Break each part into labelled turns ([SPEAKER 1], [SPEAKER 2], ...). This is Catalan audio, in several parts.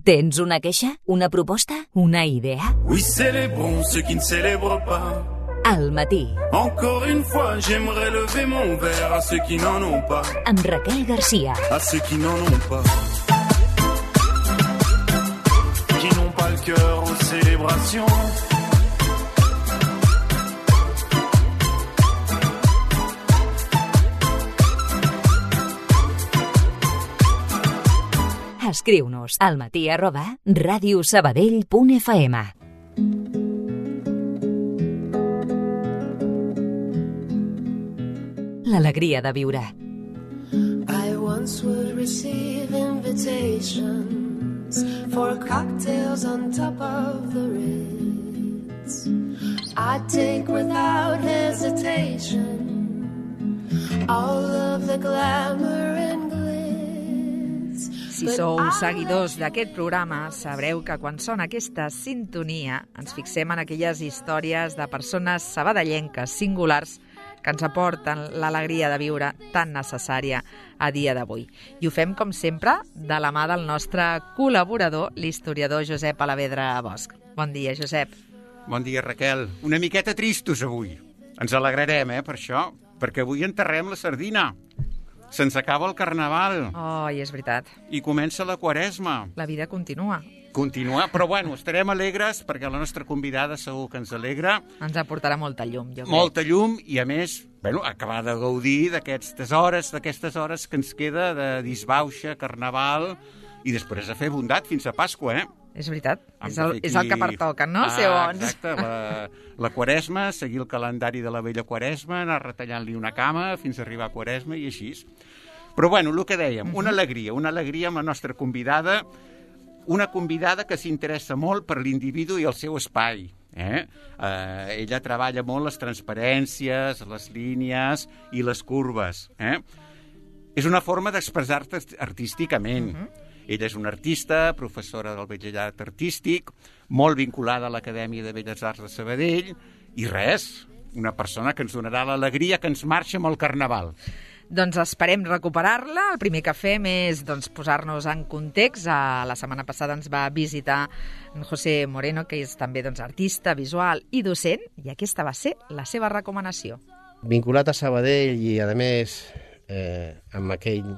[SPEAKER 1] Tens una queixa? Una proposta? Una idea?
[SPEAKER 2] Oui, célébrons ceux qui ne célèbrent pas.
[SPEAKER 1] Al matí.
[SPEAKER 2] Encore une fois, j'aimerais lever mon verre à ceux qui n'en ont pas.
[SPEAKER 1] Amb Raquel Garcia.
[SPEAKER 2] À ceux qui n'en ont pas. Qui n'ont pas le cœur aux célébrations.
[SPEAKER 1] Escriu-nos almatí@radiosabadell.fm. L'alegria de viure.
[SPEAKER 3] I once would receive invitations for cocktails on top of the Ritz. I'd take without hesitation all of the glamour and glitz.
[SPEAKER 4] Si sou seguidors d'aquest programa, sabreu que quan sona aquesta sintonia ens fixem en aquelles històries de persones sabadellenques singulars que ens aporten l'alegria de viure tan necessària a dia d'avui. I ho fem, com sempre, de la mà del nostre col·laborador, l'historiador Josep Alavedra Bosch. Bon dia, Josep.
[SPEAKER 5] Bon dia, Raquel. Una miqueta tristos avui. Ens alegrarem, per això, perquè avui enterrem la sardina. Se'ns acaba el carnaval.
[SPEAKER 4] Oh, i és veritat.
[SPEAKER 5] I comença la Quaresma.
[SPEAKER 4] La vida continua.
[SPEAKER 5] Continua, però bueno, estarem alegres perquè la nostra convidada segur que ens alegra.
[SPEAKER 4] Ens aportarà molta llum, jo crec.
[SPEAKER 5] Molta llum i, a més, acabar de gaudir d'aquestes hores que ens queda de disbauxa, carnaval i després a fer bondat fins a Pasqua,
[SPEAKER 4] És veritat, és el que pertoca, no? Ser bons.
[SPEAKER 5] Exacte, la Quaresma, seguir el calendari de la vella Quaresma, anar retallant-li una cama fins a arribar a Quaresma i així. Però bueno, el que dèiem, una alegria amb la nostra convidada, una convidada que s'interessa molt per l'individu i el seu espai. Ella treballa molt les transparències, les línies i les curves. És una forma d'expressar-te artísticament. Ella és una artista, professora del Batxillerat Artístic, molt vinculada a l'Acadèmia de Belles Arts de Sabadell, i res, una persona que ens donarà l'alegria que ens marxa amb el carnaval.
[SPEAKER 4] Doncs esperem recuperar-la. El primer que fem és posar-nos en context. La setmana passada ens va visitar en José Moreno, que és també artista, visual i docent, i aquesta va ser la seva recomanació.
[SPEAKER 6] Vinculat a Sabadell i, a més, amb aquell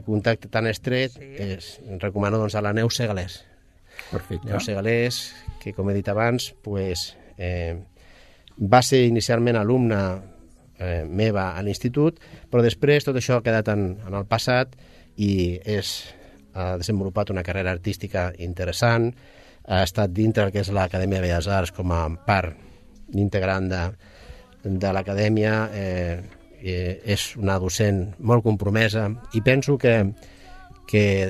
[SPEAKER 6] contacte tan estret, recomano a la Neus Segalés.
[SPEAKER 5] Perfecte.
[SPEAKER 6] Neus Segalés, que, com he dit abans, va ser inicialment alumna meva a l'institut, però després tot això ha quedat en el passat i ha desenvolupat una carrera artística interessant, ha estat dintre del que és l'Acadèmia de Belles Arts com a part integrant de l'Acadèmia, és una docent molt compromesa i penso que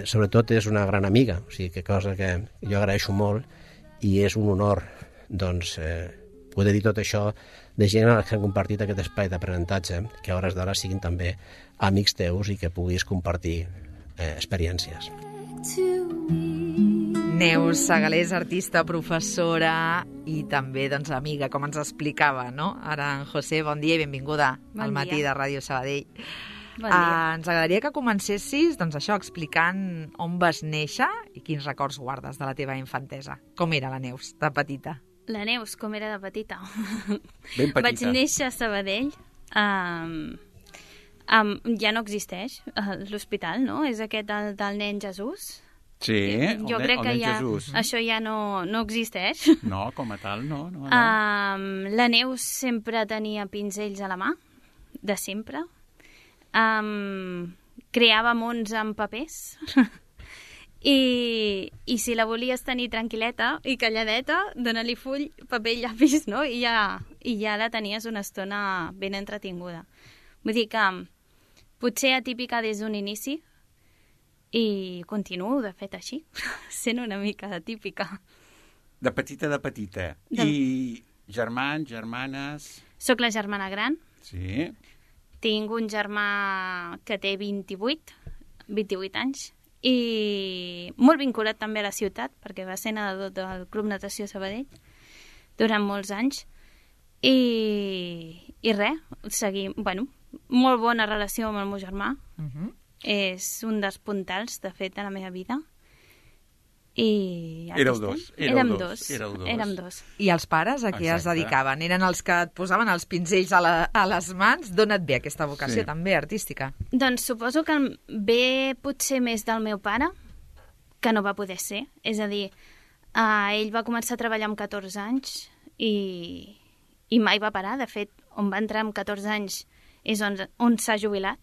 [SPEAKER 6] sobretot és una gran amiga, o sigui, que cosa que jo agraeixo molt i és un honor poder dir tot això de gent que han compartit aquest espai d'aprenentatge, que a hores d'ara siguin també amics teus i que puguis compartir experiències.
[SPEAKER 4] Neus Segalés, artista, professora i també amiga, com ens explicava, no? Ara en José, bon dia i benvinguda al matí de Ràdio Sabadell.
[SPEAKER 7] Bon dia.
[SPEAKER 4] Ens agradaria que comencessis explicant on vas néixer i quins records guardes de la teva infantesa. Com era la Neus, de petita?
[SPEAKER 7] La Neus, com era de petita?
[SPEAKER 5] Ben petita.
[SPEAKER 7] Vaig néixer a Sabadell. Ja no existeix l'hospital, no? És aquest del nen Jesús?
[SPEAKER 5] Sí,
[SPEAKER 7] jo crec que
[SPEAKER 5] Jesús.
[SPEAKER 7] Això ja no existeix.
[SPEAKER 5] No, com a tal, no.
[SPEAKER 7] La Neus sempre tenia pinzells a la mà, de sempre. Creava mons amb papers. I si la volies tenir tranquil·leta i calladeta, dona-li full, paper i llapis, no? I ja la tenies una estona ben entretinguda. Vull dir que potser atípica des d'un inici, i continuo, de fet, així, sent una mica atípica.
[SPEAKER 5] De petita. I germans, germanes...
[SPEAKER 7] Soc la germana gran.
[SPEAKER 5] Sí.
[SPEAKER 7] Tinc un germà que té 28 anys, i molt vinculat també a la ciutat, perquè va ser nedador del Club Natació Sabadell durant molts anys. I res, seguim, molt bona relació amb el meu germà. És un dels puntals, de fet, de la meva vida. i...
[SPEAKER 5] Éreu dos.
[SPEAKER 7] Érem dos.
[SPEAKER 4] I els pares a què es dedicaven? Eren els que et posaven els pinzells a les mans? D'on et ve aquesta vocació també artística?
[SPEAKER 7] Doncs suposo que ve potser més del meu pare, que no va poder ser. És a dir, ell va començar a treballar amb 14 anys i mai va parar. De fet, on va entrar amb 14 anys és on s'ha jubilat.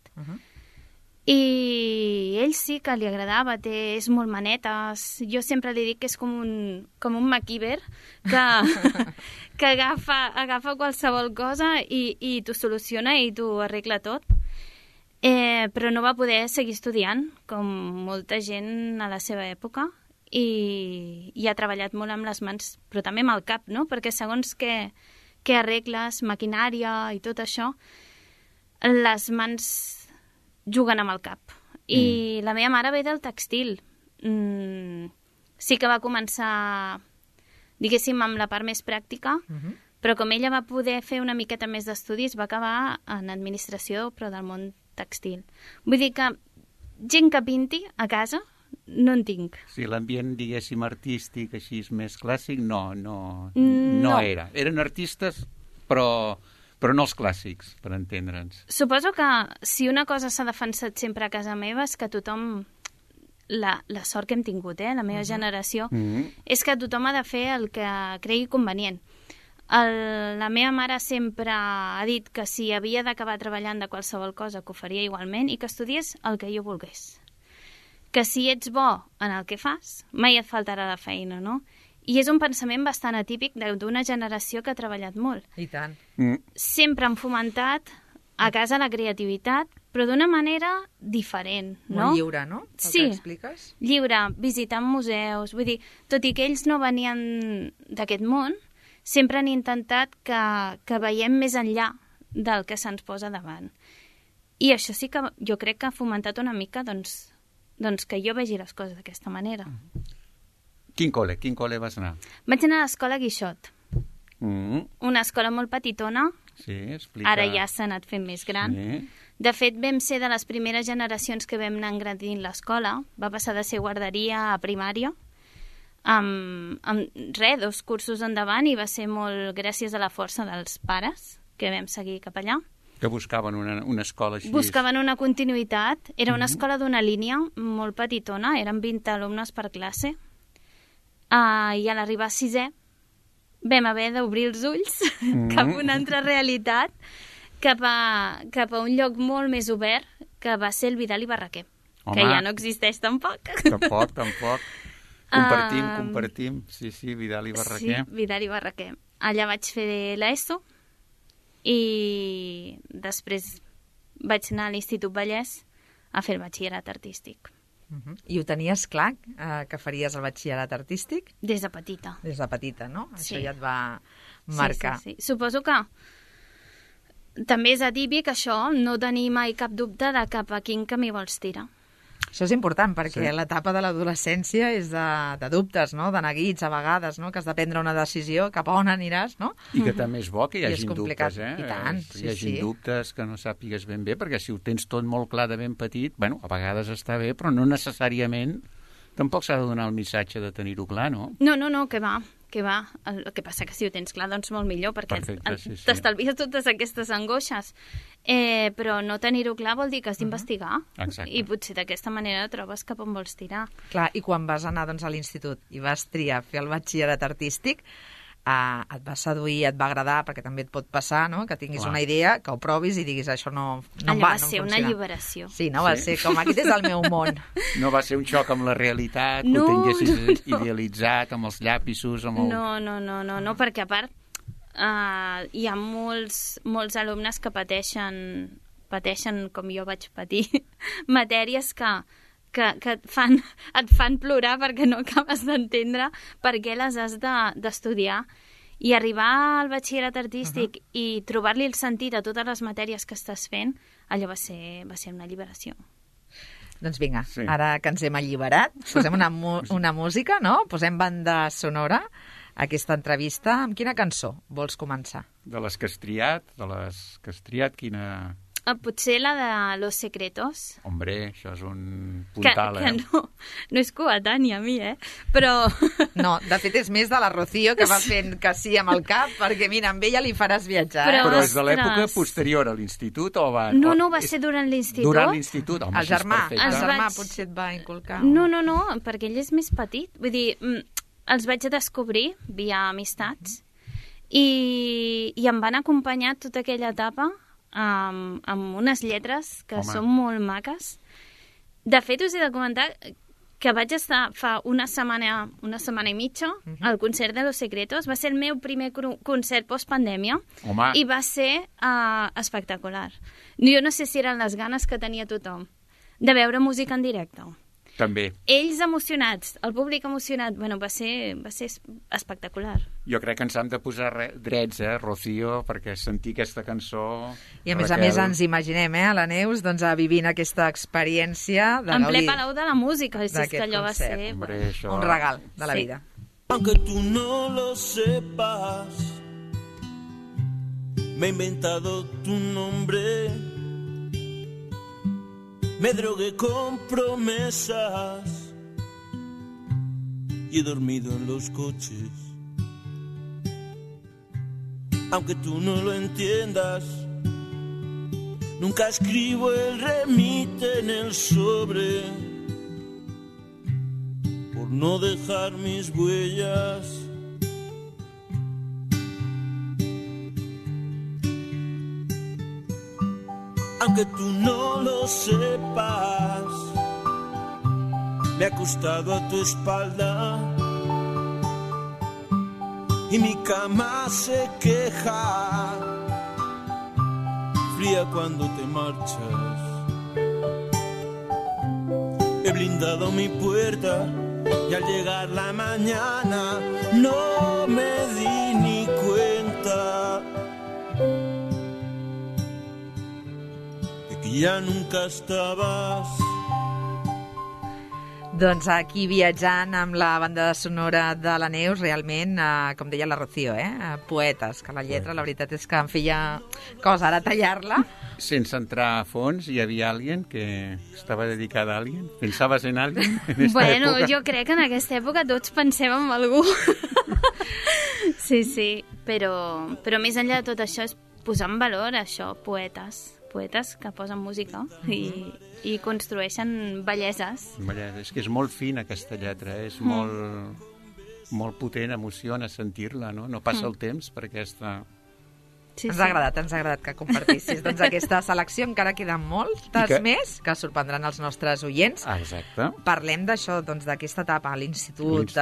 [SPEAKER 7] I ell sí que li agradava, és molt manetes. Jo sempre li dic que és com un MacGyver que agafa qualsevol cosa i t'ho soluciona i t'ho arregla tot. Però no va poder seguir estudiant, com molta gent a la seva època, i ha treballat molt amb les mans, però també amb el cap, no? Perquè segons què arregles, maquinària i tot això, les mans juguen amb el cap. I la meva mare ve del tèxtil. Sí que va començar, diguéssim, amb la part més pràctica, però com ella va poder fer una miqueta més d'estudis, va acabar en administració, però del món tèxtil. Vull dir que gent que pinti a casa no en tinc.
[SPEAKER 5] Sí, l'ambient, diguéssim, artístic, així més clàssic, no era. Eren artistes, però no els clàssics, per entendre'ns.
[SPEAKER 7] Suposo que si una cosa s'ha defensat sempre a casa meva és que tothom, la sort que hem tingut, la meva generació, és que tothom ha de fer el que cregui convenient. La meva mare sempre ha dit que si havia d'acabar treballant de qualsevol cosa que ho faria igualment i que estudiés el que jo volgués. Que si ets bo en el que fas, mai et faltarà la feina, no? I és un pensament bastant atípic d'una generació que ha treballat molt.
[SPEAKER 4] I tant.
[SPEAKER 7] Sempre han fomentat a casa la creativitat, però d'una manera diferent, no?
[SPEAKER 4] Molt lliure, no?
[SPEAKER 7] Sí,
[SPEAKER 4] expliques?
[SPEAKER 7] Lliure, visitant museus, vull dir, tot i que ells no venien d'aquest món, sempre han intentat que veiem més enllà del que se'ns posa davant. I això sí que jo crec que ha fomentat una mica doncs que jo vegi les coses d'aquesta manera.
[SPEAKER 5] Quin col·le vas anar?
[SPEAKER 7] Vaig anar a l'escola Guixot. Una escola molt petitona.
[SPEAKER 5] Sí, explica.
[SPEAKER 7] Ara ja s'ha anat fent més gran. Sí. De fet, vam ser de les primeres generacions que vam anar engrandint l'escola. Va passar de ser guarderia a primària. Amb 2 cursos endavant, i va ser molt gràcies a la força dels pares que vam seguir cap allà.
[SPEAKER 5] Que buscaven una escola així.
[SPEAKER 7] Buscaven una continuïtat. Era una escola d'una línia molt petitona, eren 20 alumnes per classe. I a l'arribar a 6è vam haver d'obrir els ulls cap a una altra realitat, cap a un lloc molt més obert, que va ser el Vidal i Barraquer. Home, que ja no existeix tampoc.
[SPEAKER 5] Tampoc. Compartim. Sí, Vidal i Barraquer.
[SPEAKER 7] Sí, Vidal i Barraquer. Allà vaig fer l'ESO i després vaig anar a l'Institut Vallès a fer el batxillerat artístic.
[SPEAKER 4] I ho tenies clar, que faries el batxillerat artístic?
[SPEAKER 7] Des de petita.
[SPEAKER 4] Des de petita, no?
[SPEAKER 7] Sí.
[SPEAKER 4] Això ja et va marcar.
[SPEAKER 7] Sí. Suposo que també és atípic això, no tenir mai cap dubte de cap a quin camí vols tirar.
[SPEAKER 4] Això és important, perquè l'etapa de l'adolescència és de dubtes, no? De neguits, a vegades, no? Que has de prendre una decisió, cap a on aniràs, no?
[SPEAKER 5] I que també és bo que hi hagin dubtes,
[SPEAKER 4] I tant,
[SPEAKER 5] hi hagin dubtes que no sàpigues ben bé, perquè si ho tens tot molt clar de ben petit, bueno, a vegades està bé, però no necessàriament tampoc s'ha de donar el missatge de tenir-ho clar, no?
[SPEAKER 7] No, que va. El que passa que si ho tens clar, doncs molt millor, perquè t'estalvies totes aquestes angoixes. Però no tenir-ho clar vol dir que has d'investigar. I potser d'aquesta manera trobes cap on vols tirar.
[SPEAKER 4] Clar, i quan vas anar a l'institut i vas triar fer el batxillerat artístic, et va seduir, et va agradar, perquè també et pot passar, no? Que tinguis una idea, que ho provis i diguis això no em va,
[SPEAKER 7] va ser una alliberació.
[SPEAKER 4] Sí, no? Va ser com aquest és el meu món.
[SPEAKER 5] No va ser un xoc amb la realitat, que ho tinguessis idealitzat, amb els llapisos, amb el...
[SPEAKER 7] No, perquè a part hi ha molts alumnes que pateixen com jo vaig patir, matèries que et fan plorar perquè no acabes d'entendre per què les has d'estudiar. I arribar al batxillerat artístic i trobar-li el sentit a totes les matèries que estàs fent, allò va ser una alliberació.
[SPEAKER 4] Doncs vinga, ara que ens hem alliberat, posem una música, no? Posem banda sonora a aquesta entrevista. Amb quina cançó vols començar?
[SPEAKER 5] De les que has triat, quina...
[SPEAKER 7] Potser la de Los Secretos.
[SPEAKER 5] Hombre, això és un puntal,
[SPEAKER 7] que no és coetània a mi, però...
[SPEAKER 4] No, de fet és més de la Rocío, que va fent que sí amb el cap, perquè mira, amb ella li faràs viatjar.
[SPEAKER 5] Però és de l'època posterior a l'institut o va...
[SPEAKER 7] No, va ser durant l'institut.
[SPEAKER 5] Durant l'institut, home,
[SPEAKER 4] el germà
[SPEAKER 5] perfecte.
[SPEAKER 4] potser et va inculcar.
[SPEAKER 7] No, perquè ell és més petit. Vull dir, els vaig descobrir via amistats i em van acompanyar tota aquella etapa amb unes lletres que són molt maques. De fet, us he de comentar que vaig estar fa una setmana i mitja al concert de Los Secretos. Va ser el meu primer concert post-pandèmia i va ser espectacular. Jo no sé si eren les ganes que tenia tothom de veure música en directe.
[SPEAKER 5] També.
[SPEAKER 7] Ells emocionats, el públic emocionat, bueno, va ser espectacular.
[SPEAKER 5] Jo crec que ens hem de posar drets, Rocío, perquè sentir aquesta cançó...
[SPEAKER 4] I a més ens imaginem, a la Neus, doncs, vivint aquesta experiència de
[SPEAKER 7] en ple Palau de la Música, si és que allò va ser...
[SPEAKER 5] Hombre, això...
[SPEAKER 4] Un regal de la vida.
[SPEAKER 2] Aunque tú no lo sepas, me he inventado tu nombre. Me drogué con promesas y he dormido en los coches. Aunque tú no lo entiendas, nunca escribo el remite en el sobre por no dejar mis huellas. Aunque tú no lo sepas, me he acostado a tu espalda y mi cama se queja, fría cuando te marchas. He blindado mi puerta y al llegar la mañana no me di ni cuenta ja nunca estaves.
[SPEAKER 4] Doncs aquí viatjant amb la banda sonora de la Neus, realment, com deia la Rocío, poetes, que la lletra, la veritat és que em feia cosa ara tallar-la.
[SPEAKER 5] Sense entrar a fons, hi havia alguien que estava dedicada a alguien? Pensaves en alguien en esta
[SPEAKER 7] bueno,
[SPEAKER 5] època?
[SPEAKER 7] Jo crec que en aquesta època tots pensem en algú. Sí, però més enllà de tot això és posar en valor això, poetes que posen música i construeixen belleses.
[SPEAKER 5] És que és molt fina aquesta lletra, és molt potent, emociona sentir-la, no? No passa el temps per aquesta...
[SPEAKER 4] Sí, ens ha agradat que compartissis doncs, aquesta selecció. Encara queden moltes més que sorprendran els nostres oients.
[SPEAKER 5] Exacte.
[SPEAKER 4] Parlem d'això, doncs, d'aquesta etapa a l'institut.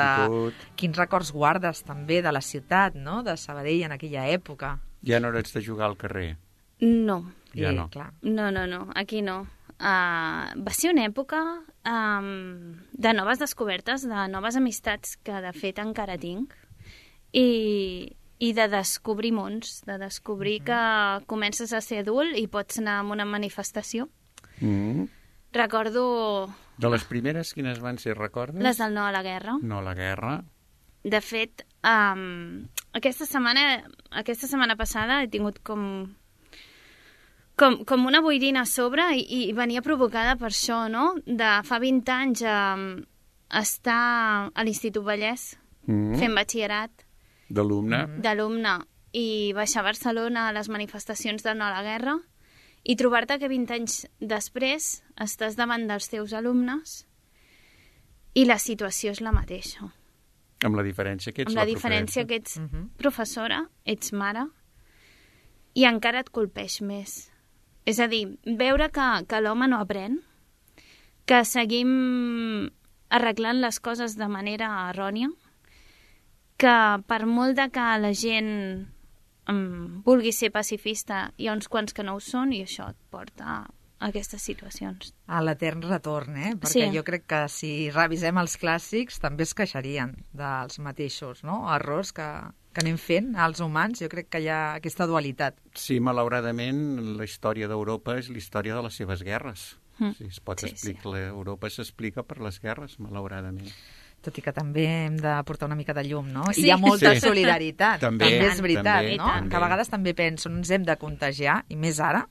[SPEAKER 4] Quins records guardes també de la ciutat, no? De Sabadell en aquella època.
[SPEAKER 5] Ja no ets de jugar al carrer?
[SPEAKER 7] No.
[SPEAKER 5] Ja no.
[SPEAKER 7] No, aquí no. Va ser una època de noves descobertes, de noves amistats que de fet encara tinc i de descobrir mons, de descobrir que comences a ser adult i pots anar a una manifestació. Recordo...
[SPEAKER 5] De les primeres, quines van ser, recordes?
[SPEAKER 7] Les del No a la Guerra.
[SPEAKER 5] No a la Guerra.
[SPEAKER 7] De fet, aquesta setmana passada he tingut com una boirina a sobre i venia provocada per això, no? De fa 20 anys estar a l'Institut Vallès fent batxillerat. D'alumne. I baixar a Barcelona a les manifestacions de No a la Guerra i trobar-te que 20 anys després estàs davant dels teus alumnes i la situació és la mateixa.
[SPEAKER 5] Amb la diferència que ets
[SPEAKER 7] amb la diferència que ets professora, ets mare i encara et colpeix més. És a dir, veure que l'home no aprèn, que seguim arreglant les coses de manera errònia, que per molt de que la gent vulgui ser pacifista, hi ha uns quants que no ho són i això et porta a aquestes situacions.
[SPEAKER 4] A l'etern retorn, Perquè jo crec que si revisem els clàssics també es queixarien dels mateixos, no? Errors que anem fent als humans. Jo crec que hi ha aquesta dualitat.
[SPEAKER 5] Sí, malauradament, la història d'Europa és la història de les seves guerres. Si es pot explicar, Europa s'explica per les guerres, malauradament.
[SPEAKER 4] Tot i que també hem de portar una mica de llum, no? I hi ha molta solidaritat. També és veritat, no? Que a vegades també penso, no ens hem de contagiar, i més ara,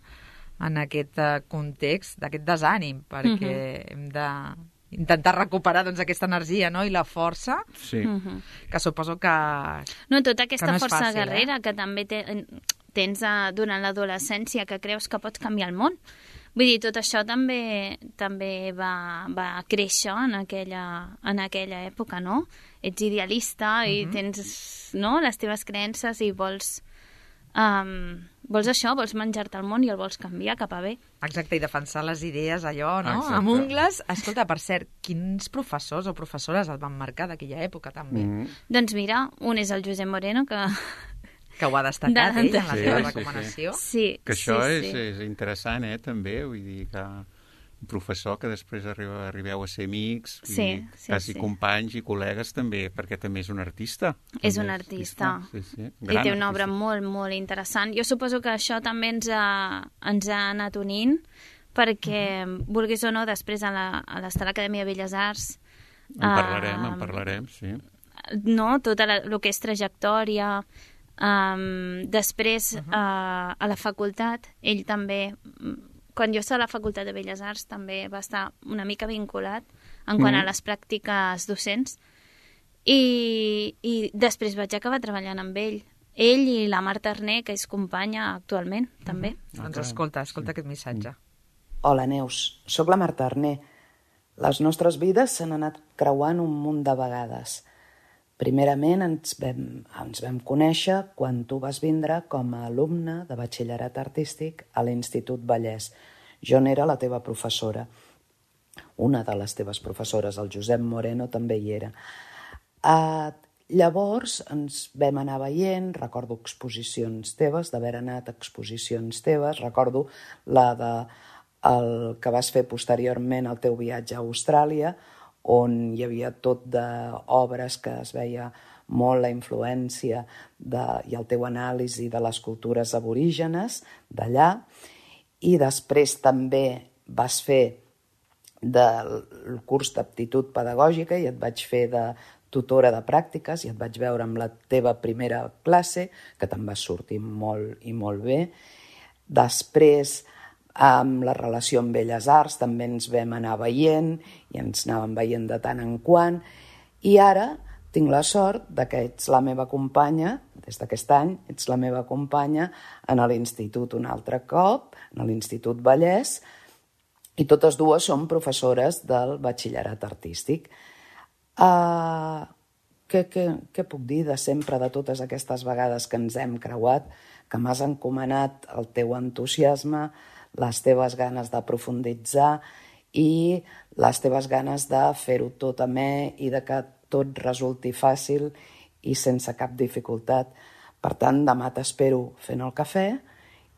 [SPEAKER 4] en aquest context, d'aquest desànim, perquè hem de intentar recuperar doncs, aquesta energia, no?, i la força, que suposo que
[SPEAKER 7] no, tota aquesta
[SPEAKER 4] no és
[SPEAKER 7] força
[SPEAKER 4] fàcil,
[SPEAKER 7] guerrera que també tens durant l'adolescència, que creus que pots canviar el món. Vull dir, tot això també va créixer en aquella època, no? Ets idealista i tens, no?, les teves creences i vols això, vols menjar-te el món i el vols canviar cap a bé.
[SPEAKER 4] Exacte, i defensar les idees, allò, no?,
[SPEAKER 5] Exacte.
[SPEAKER 4] amb ungles. Escolta, per cert, quins professors o professores el van marcar d'aquella època, també?
[SPEAKER 7] Doncs mira, un és el Josep Moreno, que
[SPEAKER 4] ho ha destacat ell en la seva recomanació.
[SPEAKER 7] Sí,
[SPEAKER 5] que això és interessant, també, vull dir que un professor que després arribeu a ser amics, quasi companys i col·legues també, perquè també és un artista.
[SPEAKER 7] És un artista. I té una obra molt, molt interessant. Jo suposo que això també ens ha anat unint, perquè, vulguis o no, després a l'estar a l'Acadèmia de Belles Arts...
[SPEAKER 5] En parlarem, sí.
[SPEAKER 7] No, tot el que és trajectòria... després a la facultat ell també, quan jo estava a la facultat de Belles Arts també va estar una mica vinculat en quant a les pràctiques docents i després vaig acabar treballant amb ell i la Marta Arné, que és companya actualment també.
[SPEAKER 4] Doncs escolta aquest missatge.
[SPEAKER 8] Hola Neus, sóc la Marta Arné. Les nostres vides s'han anat creuant un munt de vegades. Primerament ens vam conèixer quan tu vas vindre com a alumne de batxillerat artístic a l'Institut Vallès. Jo n'era la teva professora. Una de les teves professores, el Josep Moreno, també hi era. Llavors ens vam anar veient, recordo exposicions teves, d'haver anat a exposicions teves, recordo el que vas fer posteriorment al teu viatge a Austràlia, on hi havia tot d'obres que es veia molt la influència i el teu anàlisi de les cultures aborígenes d'allà, i després també vas fer del curs d'aptitud pedagògica i et vaig fer de tutora de pràctiques i et vaig veure amb la teva primera classe, que te'n vas sortir molt i molt bé. Després, amb la relació amb Belles Arts també ens vam anar veient i ens anàvem veient de tant en quant, i ara tinc la sort que ets la meva companya, des d'aquest any ets la meva companya en l'institut un altre cop, en l'Institut Vallès, i totes dues som professores del batxillerat artístic. Què puc dir de sempre, de totes aquestes vegades que ens hem creuat, que m'has encomanat el teu entusiasme, les teves ganes de profunditzar i les teves ganes de fer-ho tot amè i de que tot resulti fàcil i sense cap dificultat. Per tant, demà t'espero fent el cafè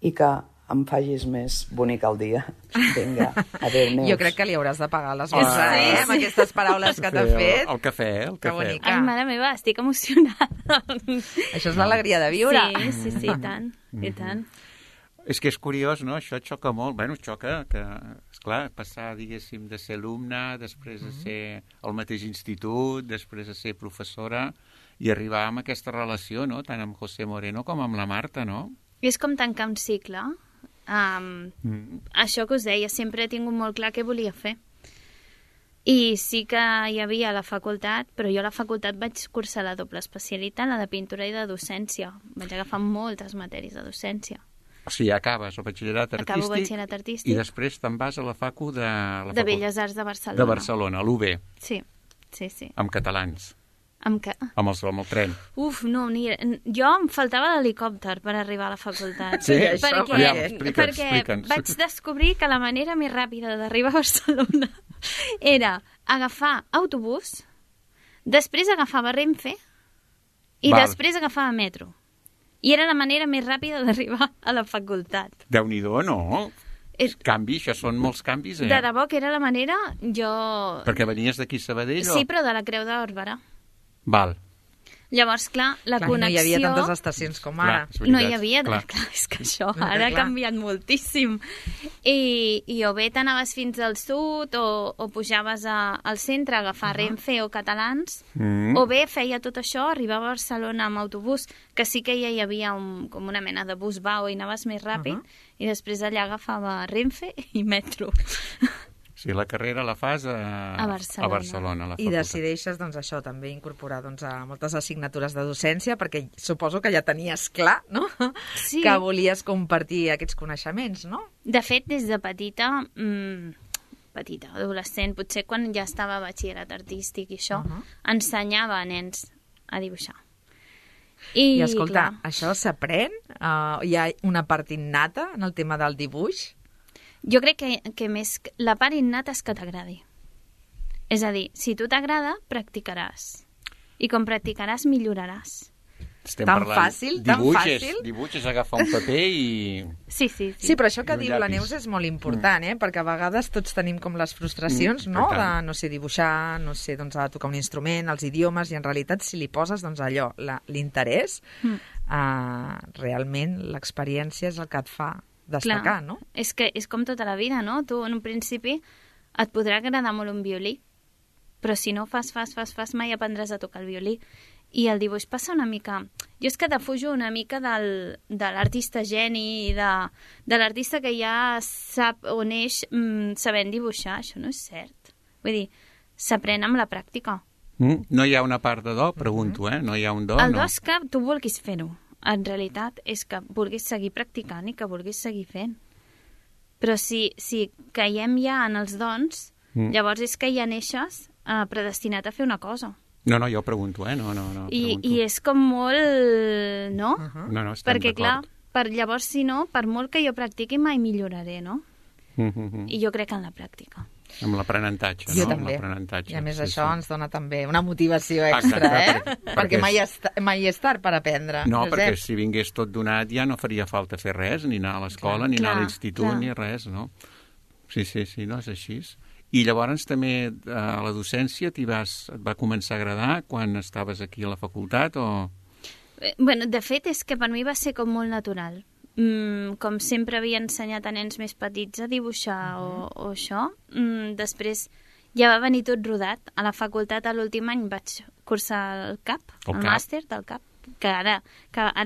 [SPEAKER 8] i que em facis més bonic el dia. Vinga, adéu, Neus.
[SPEAKER 4] Jo crec que li hauràs de pagar les coses, amb aquestes paraules que t'ha fet.
[SPEAKER 5] El cafè.
[SPEAKER 4] Que bonica.
[SPEAKER 7] Ai, mare meva, estic emocionada.
[SPEAKER 4] Això és l'alegria de viure.
[SPEAKER 7] Sí, i tant, i tant.
[SPEAKER 5] És que és curiós, no? Això xoca molt. Bueno, xoca que, esclar, passar, diguéssim, de ser alumne, després de ser al mateix institut, després de ser professora, i arribar amb aquesta relació, no?, tant amb José Moreno com amb la Marta, no?
[SPEAKER 7] És com tancar un cicle. Això que us deia, sempre he tingut molt clar què volia fer. I sí que hi havia a la facultat, però jo a la facultat vaig cursar la doble especialitat, la de pintura i de docència. Vaig agafar moltes matèries de docència.
[SPEAKER 5] O sigui, acabes el batxillerat artístic,
[SPEAKER 7] acabo batxillerat artístic
[SPEAKER 5] i després te'n vas a la facu de
[SPEAKER 7] Belles Arts de Barcelona.
[SPEAKER 5] De Barcelona, a l'UB.
[SPEAKER 7] Sí.
[SPEAKER 5] Amb catalans.
[SPEAKER 7] Amb què?
[SPEAKER 5] Amb el tren.
[SPEAKER 7] Uf, no, jo em faltava l'helicòpter per arribar a la facultat.
[SPEAKER 5] Sí?
[SPEAKER 7] Perquè vaig descobrir que la manera més ràpida d'arribar a Barcelona era agafar autobús, després agafava Renfe i després agafava metro. I era la manera més ràpida d'arribar a la facultat.
[SPEAKER 5] Déu-n'hi-do, no? Canvi, això són molts canvis,
[SPEAKER 7] De debò que era la manera, jo...
[SPEAKER 5] Perquè venies d'aquí a Sabadell,
[SPEAKER 7] Sí, però de la Creu d'Òrbara.
[SPEAKER 5] Val.
[SPEAKER 7] Llavors, clar, la
[SPEAKER 4] Clar,
[SPEAKER 7] connexió...
[SPEAKER 4] no hi havia tantes estacions com ara.
[SPEAKER 5] Clar, és veritat,
[SPEAKER 7] No hi havia...
[SPEAKER 5] clar.
[SPEAKER 7] Clar, és que això
[SPEAKER 4] No,
[SPEAKER 7] ara ha
[SPEAKER 4] clar.
[SPEAKER 7] canviat moltíssim. I o bé t'anaves fins al sud o pujaves al centre a agafar Renfe o Catalans, o bé feia tot això, arribava a Barcelona amb autobús, que sí que ja hi havia com una mena de bus bau i anaves més ràpid, i després allà agafava Renfe i metro.
[SPEAKER 5] Sí, la carrera la fas a Barcelona, a la
[SPEAKER 4] I
[SPEAKER 5] facultat.
[SPEAKER 4] decideixes, doncs, això, també incorporar doncs, a moltes assignatures de docència, perquè suposo que ja tenies clar, no?,
[SPEAKER 7] Sí.
[SPEAKER 4] que volies compartir aquests coneixements, no?
[SPEAKER 7] De fet, des de petita, adolescent, potser quan ja estava a batxillerat artístic i això, ensenyava a nens a dibuixar.
[SPEAKER 4] I escolta,
[SPEAKER 7] clar,
[SPEAKER 4] això s'aprèn? Hi ha una part innata en el tema del dibuix?
[SPEAKER 7] jo crec que més la part innata és que t'agradi. És a dir, si tu t'agrada, practicaràs. I com practicaràs, milloraràs.
[SPEAKER 5] Estem
[SPEAKER 4] Tan
[SPEAKER 5] parlant
[SPEAKER 4] fàcil, tan fàcil.
[SPEAKER 5] Dibuixes, agafar un paper i...
[SPEAKER 7] Sí.
[SPEAKER 4] Sí, però això que
[SPEAKER 5] I un
[SPEAKER 4] diu la
[SPEAKER 5] llapis.
[SPEAKER 4] Neus és molt important, perquè a vegades tots tenim com les frustracions, no?,
[SPEAKER 5] i
[SPEAKER 4] de,
[SPEAKER 5] tant.
[SPEAKER 4] no sé, dibuixar, no sé, doncs, a tocar un instrument, els idiomes, i en realitat si li poses, doncs, allò, l'interès, realment l'experiència és el que et fa destacar, no?
[SPEAKER 7] És que és com tota la vida, no? Tu, en un principi, et podrà agradar molt un violí, però si no fas, mai aprendràs a tocar el violí. I el dibuix passa una mica... Jo és que defujo una mica de l'artista geni, de l'artista que ja sap on neix sabent dibuixar. Això no és cert. Vull dir, s'aprèn amb la pràctica.
[SPEAKER 5] No hi ha una part de do? Pregunto, No hi ha un do?
[SPEAKER 7] El do és que tu vulguis fer-ho. En realitat és que vulguis seguir practicant i que vulguis seguir fent. Però si caiem ja en els dons, llavors és que ja neixes predestinat a fer una cosa.
[SPEAKER 5] No, jo pregunto, No,
[SPEAKER 7] I és com molt... No?
[SPEAKER 5] No, estem
[SPEAKER 7] Perquè, clar,
[SPEAKER 5] d'acord.
[SPEAKER 7] llavors, si no, per molt que jo practiqui, mai milloraré, no? I jo crec en la pràctica.
[SPEAKER 5] Amb l'aprenentatge,
[SPEAKER 4] Jo
[SPEAKER 5] no?
[SPEAKER 4] també.
[SPEAKER 5] Amb l'aprenentatge,
[SPEAKER 4] I a més
[SPEAKER 5] sí,
[SPEAKER 4] això
[SPEAKER 5] sí.
[SPEAKER 4] ens dona també una motivació extra,
[SPEAKER 5] Exacte,
[SPEAKER 4] perquè mai és tard per aprendre.
[SPEAKER 5] No,
[SPEAKER 4] Josep.
[SPEAKER 5] perquè si vingués tot donat ja no faria falta fer res, ni anar a l'escola, ni anar a l'institut, ni res, no? Sí, no, és així. I llavors també a la docència et va començar a agradar quan estaves aquí a la facultat o...?
[SPEAKER 7] Bueno, de fet, és que per mi va ser com molt natural. Com sempre havia ensenyat a nens més petits a dibuixar o això, després ja va venir tot rodat. A la facultat, a l'últim any, vaig cursar el CAP, el màster del CAP, que ara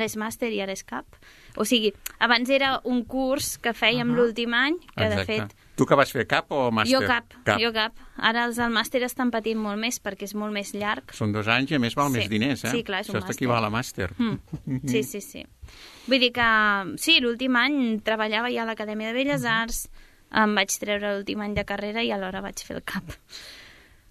[SPEAKER 7] és màster i ara és CAP. O sigui, abans era un curs que fèiem l'últim any, que de fet...
[SPEAKER 5] Tu que vas fer CAP o màster?
[SPEAKER 7] Jo CAP. Ara els del màster estan patint molt més perquè és molt més llarg.
[SPEAKER 5] Són 2 anys i a més val més diners,
[SPEAKER 7] Sí, clar, és un
[SPEAKER 5] Això equival a màster.
[SPEAKER 7] Sí. Vull dir que, sí, l'últim any treballava ja a l'Acadèmia de Belles Arts, em vaig treure l'últim any de carrera i alhora vaig fer el CAP.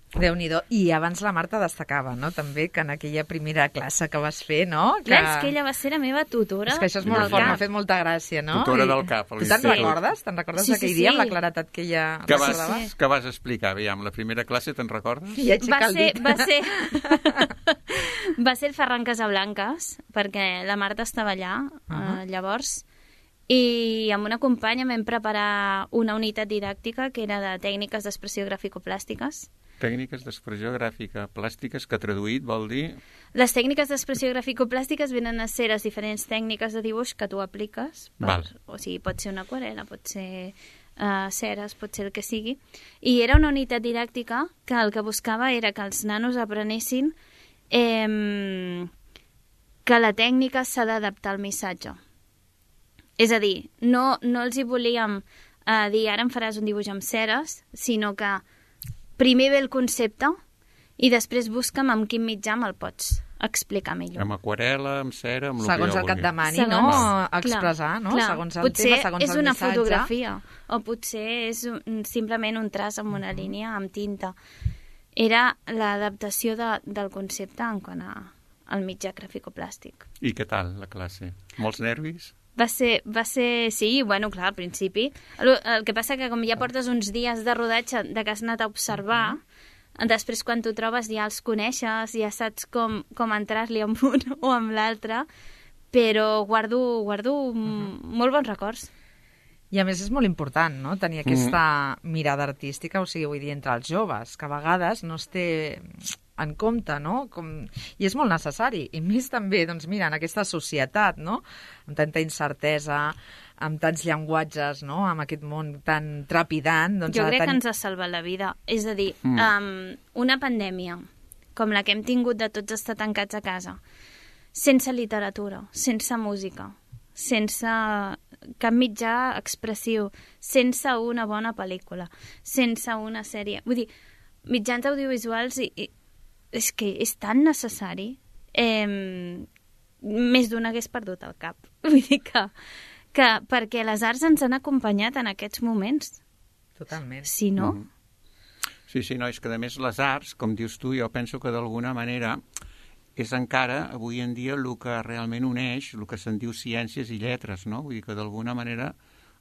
[SPEAKER 4] Déu-n'hi-do. I abans la Marta destacava, no?, també, que en aquella primera classe que vas fer, no?
[SPEAKER 7] Clar, és que ella va ser la meva tutora.
[SPEAKER 4] És que això és molt fort, m'ha fet molta gràcia, no?
[SPEAKER 5] Tutora del CAP.
[SPEAKER 4] Tu te'n recordes? Te'n recordes d'aquell dia amb la claretat que ella recordava?
[SPEAKER 5] Què vas explicar? Aviam, la primera classe te'n recordes?
[SPEAKER 4] I aixeca el dit.
[SPEAKER 7] Va ser el Ferran Casablanques, perquè la Marta estava allà, llavors, i amb una companya vam preparar una unitat didàctica que era de tècniques d'expressió gràfico-plàstiques.
[SPEAKER 5] Tècniques d'expressió gràfica plàstiques, que traduït vol dir...
[SPEAKER 7] Les tècniques d'expressió gràfico-plàstiques venen a ser les diferents tècniques de dibuix que tu apliques. O sigui, pot ser una aquarel·la, pot ser ceres, pot ser el que sigui. I era una unitat didàctica que el que buscava era que els nanos aprenessin que la tècnica s'ha d'adaptar al missatge. És a dir, no els hi volíem dir ara em faràs un dibuix amb ceres, sinó que primer ve el concepte i després busca'm amb quin mitjà me'l pots explicar millor.
[SPEAKER 5] Amb aquarel·la, amb cera, amb
[SPEAKER 4] segons el que et demani, no? Expressar, no?
[SPEAKER 7] Clar.
[SPEAKER 4] Segons el tema, segons el missatge.
[SPEAKER 7] Potser és una fotografia o potser és simplement un traç amb una línia amb tinta. Era l'adaptació del concepte en quant al mitjà gràfico-plàstic.
[SPEAKER 5] I què tal, la classe? Molts nervis?
[SPEAKER 7] Va ser, sí, bueno, clar, al principi. El que passa que com ja portes uns dies de rodatge de que has anat a observar, després quan t'ho trobes ja els coneixes, ja saps com entrar-li amb un o amb l'altre, però guardo molt bons records.
[SPEAKER 4] I a més és molt important, no?, tenir aquesta mirada artística, o sigui, vull dir, entre els joves, que a vegades no es té en compte, no? I és molt necessari, i més també, doncs mira, en aquesta societat, no? Amb tanta incertesa, amb tants llenguatges, no? Amb aquest món tan trepidant. Doncs
[SPEAKER 7] jo crec que ens ha salvat la vida. És a dir, una pandèmia com la que hem tingut de tots estar tancats a casa, sense literatura, sense música, sense cap mitjà expressiu, sense una bona pel·lícula, sense una sèrie... Vull dir, mitjans audiovisuals és que és tan necessari, més d'un hagués perdut el cap. Vull dir que perquè les arts ens han acompanyat en aquests moments.
[SPEAKER 4] Totalment.
[SPEAKER 7] Si no...
[SPEAKER 5] Sí, no, és que a més les arts, com dius tu, jo penso que d'alguna manera és encara, avui en dia, el que realment uneix, el que se'n diu ciències i lletres, no? Vull dir que d'alguna manera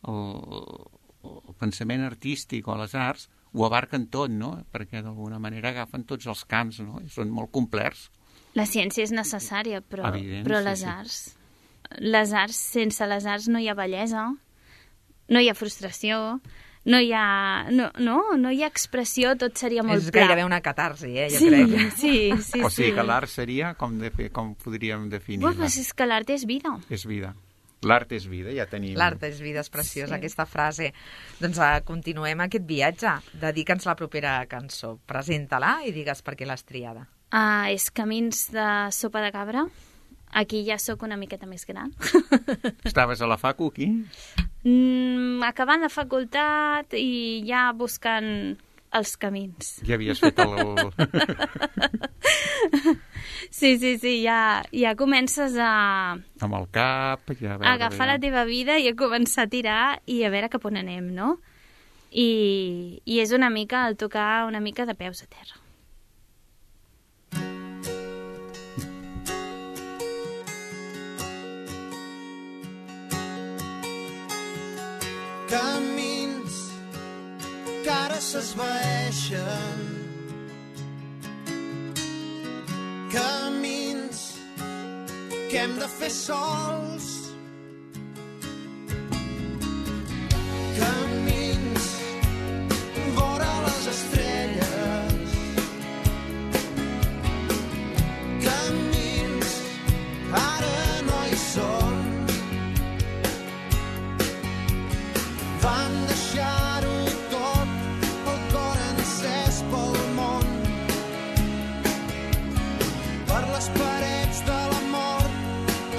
[SPEAKER 5] el pensament artístic o les arts ho abarquen tot, no? Perquè d'alguna manera agafen tots els camps, no? I són molt complets.
[SPEAKER 7] La ciència és necessària, però les arts... Les arts, sense les arts no hi ha bellesa, no hi ha frustració, no hi ha expressió, tot seria molt pla.
[SPEAKER 4] És gairebé una catarsi, jo crec.
[SPEAKER 7] Sí.
[SPEAKER 5] O sigui que l'art seria, com podríem definir?
[SPEAKER 7] És que l'art és vida.
[SPEAKER 5] És vida. L'art és vida, ja tenim...
[SPEAKER 4] L'art és vida, és preciosa, aquesta frase. Doncs continuem aquest viatge. Dedica'ns la propera cançó. Presenta-la i digues per què l'has triada.
[SPEAKER 7] És Camins de Sopa de Cabra. Aquí ja sóc una miqueta més gran.
[SPEAKER 5] Estaves a la facu, aquí?
[SPEAKER 7] Acabant la facultat i ja buscant els camins.
[SPEAKER 5] Ja havies fet el...
[SPEAKER 7] Sí, ja comences a...
[SPEAKER 5] Amb el cap... Ja a
[SPEAKER 7] agafar la teva vida i a començar a tirar i a veure cap on anem, no? I és una mica el tocar una mica de peus a terra.
[SPEAKER 2] Camins que ara s'esvaeixen, camins que hem de fer sols, camins vora les estrelles, camins ara no hi són. Vam deixar-ho tot, el cor encès pel món, per les parets de l'amor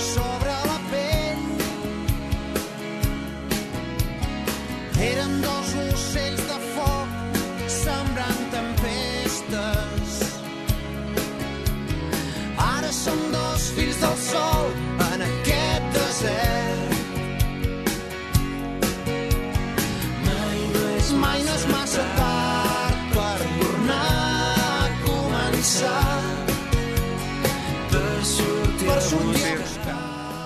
[SPEAKER 2] sobre la pell. Érem dos ocells de foc sembrant tempestes. Ara som dos fills del sol en aquest desert. Mai no és massa tard per tornar a començar, per sortir a buscar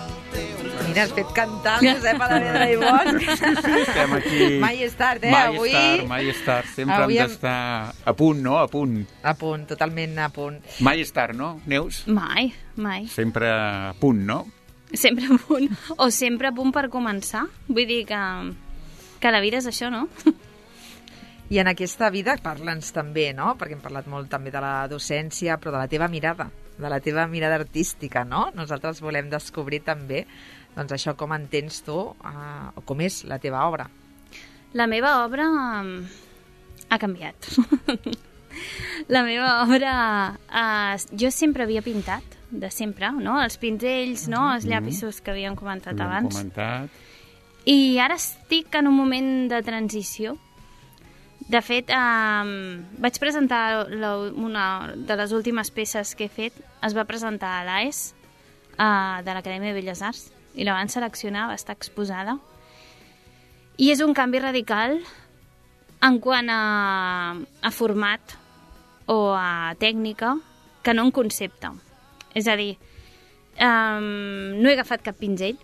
[SPEAKER 2] el teu...
[SPEAKER 4] Mira, has fet cantar el Josep Alavedra i Bosch.
[SPEAKER 5] Estem aquí...
[SPEAKER 4] Mai és tard,
[SPEAKER 5] avui... Mai és tard. Sempre hem d'estar a punt, no? A punt.
[SPEAKER 4] A punt, totalment a punt.
[SPEAKER 5] Mai és tard, no, Neus?
[SPEAKER 7] Mai.
[SPEAKER 5] Sempre a punt, no?
[SPEAKER 7] Sempre a punt. O sempre a punt per començar. Vull dir que la vida és això, no?
[SPEAKER 4] I en aquesta vida parla'ns també, no? Perquè hem parlat molt també de la docència, però de la teva mirada artística, no? Nosaltres volem descobrir també doncs això, com entens tu, o com és la teva obra.
[SPEAKER 7] La meva obra ha canviat. La meva obra... jo sempre havia pintat, de sempre, no? Els pinzells, no? Els llapisos que havíem comentat abans. I ara estic en un moment de transició. De fet, vaig presentar una de les últimes peces que he fet, es va presentar a l'AES, de l'Acadèmia de Belles Arts, i la van seleccionar, va estar exposada. I és un canvi radical en quant a format o a tècnica, que no en concepte. És a dir, no he agafat cap pinzell.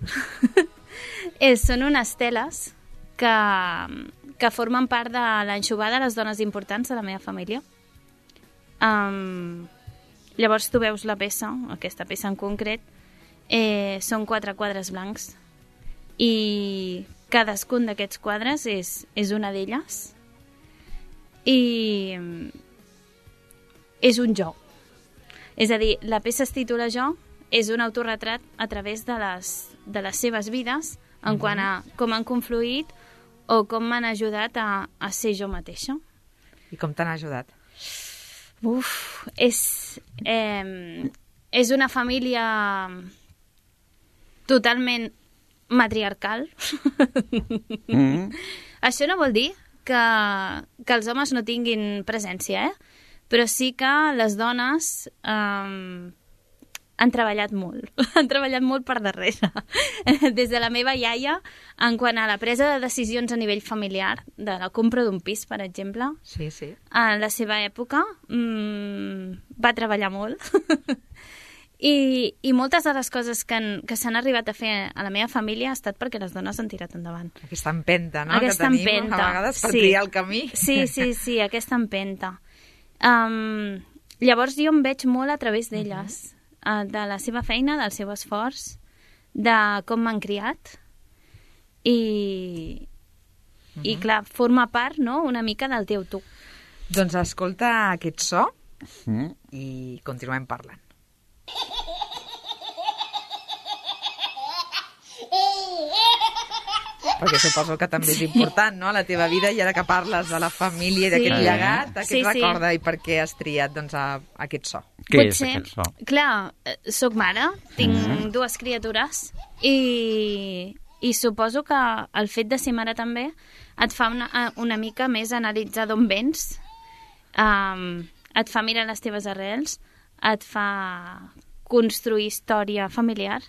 [SPEAKER 7] Són unes teles que formen part de l'anxovada de les dones importants de la meva família. Llavors tu veus la peça, aquesta peça en concret, són 4 quadres blancs i cadascun d'aquests quadres és una d'elles i és un jo. És a dir, la peça es titula Jo, és un autorretrat a través de les seves vides en quant a com han confluït o com m'han ajudat a ser jo mateixa.
[SPEAKER 4] I com t'han ajudat?
[SPEAKER 7] És una família totalment matriarcal. Això no vol dir que els homes no tinguin presència, però sí que les dones han treballat molt. Han treballat molt per darrere. Des de la meva iaia, en quant a la presa de decisions a nivell familiar, de la compra d'un pis, per exemple,
[SPEAKER 4] sí, sí.
[SPEAKER 7] En la seva època va treballar molt. I moltes de les coses que s'han arribat a fer a la meva família ha estat perquè les dones han tirat endavant.
[SPEAKER 4] Aquesta empenta, no?,
[SPEAKER 7] aquesta
[SPEAKER 4] que tenim
[SPEAKER 7] empenta.
[SPEAKER 4] A vegades per triar el camí.
[SPEAKER 7] Sí, aquesta empenta. Llavors jo em veig molt a través d'elles, de la seva feina, del seu esforç, de com m'han criat i clar, forma part, no?, una mica del teu tu.
[SPEAKER 4] Doncs escolta aquest so i continuem parlant. Perquè suposo que també és important, no?, a la teva vida, i ara que parles de la família i d'aquest llegat, aquest recorda, i per què has triat, doncs, aquest so.
[SPEAKER 5] Què és aquest so?
[SPEAKER 7] Clar, soc mare, tinc dues criatures, i suposo que el fet de ser mare també et fa una mica més analitzar d'on vens, et fa mirar les teves arrels, et fa construir història familiar,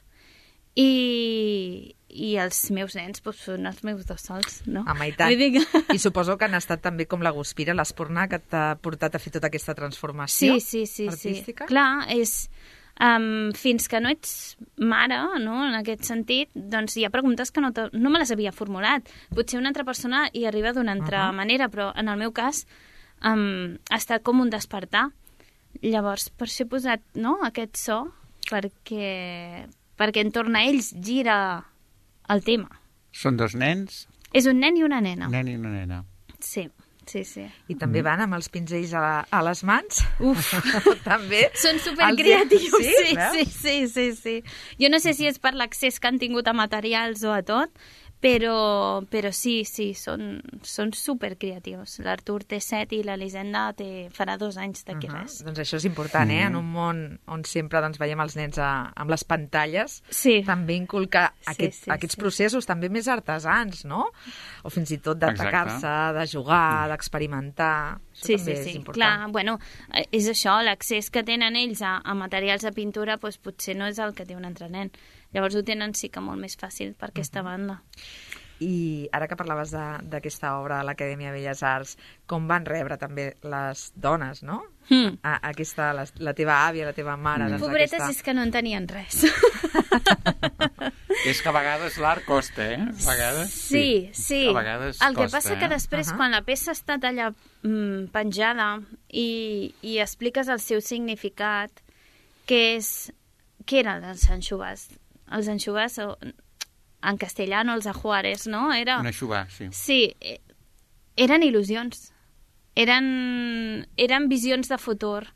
[SPEAKER 7] i els meus nens són els meus dos sols, no?
[SPEAKER 4] Home, i tant. I suposo que han estat també com la guspira, l'espurna que t'ha portat a fer tota aquesta transformació artística.
[SPEAKER 7] Clar, és... fins que no ets mare, no?, en aquest sentit, doncs hi ha preguntes que no me les havia formulat. Potser una altra persona hi arriba d'una altra manera, però en el meu cas ha estat com un despertar. Llavors, per això he posat, no?, aquest so, perquè entorn a ells gira el tema.
[SPEAKER 5] Són dos nens?
[SPEAKER 7] És un nen i una nena.
[SPEAKER 5] Un nen i una nena.
[SPEAKER 7] Sí.
[SPEAKER 4] I també van amb els pinzells a les mans?
[SPEAKER 7] Uf!
[SPEAKER 4] També?
[SPEAKER 7] Són supercreatius, sí. Jo no sé si és per l'accés que han tingut a materials o a tot, però sí, són supercreatius. L'Artur té 7 i l'Elisenda farà 2 anys d'aquí res.
[SPEAKER 4] Doncs això és important, en un món on sempre veiem els nens amb les pantalles, també inculcar aquests processos també més artesans, no? O fins i tot d'atacar-se, de jugar, d'experimentar. Això també és important.
[SPEAKER 7] Clar, bueno, és això, l'accés que tenen ells a materials de pintura potser no és el que té un altre nen. Llavors ho tenen sí que molt més fàcil per aquesta banda.
[SPEAKER 4] I ara que parlaves d'aquesta obra a l'Acadèmia Belles Arts, com van rebre també les dones, no? La teva àvia, la teva mare...
[SPEAKER 7] Pobretes, és que no en tenien res.
[SPEAKER 5] És que a vegades l'art costa, A vegades
[SPEAKER 7] sí.
[SPEAKER 5] A vegades
[SPEAKER 7] el que passa que després, quan la peça ha estat allà penjada i expliques el seu significat, què eren els anxovars? Els anxovars, en castellano, els ajuares, no?
[SPEAKER 5] Un aixuvar, sí.
[SPEAKER 7] Sí, eren il·lusions. Eren visions de futur.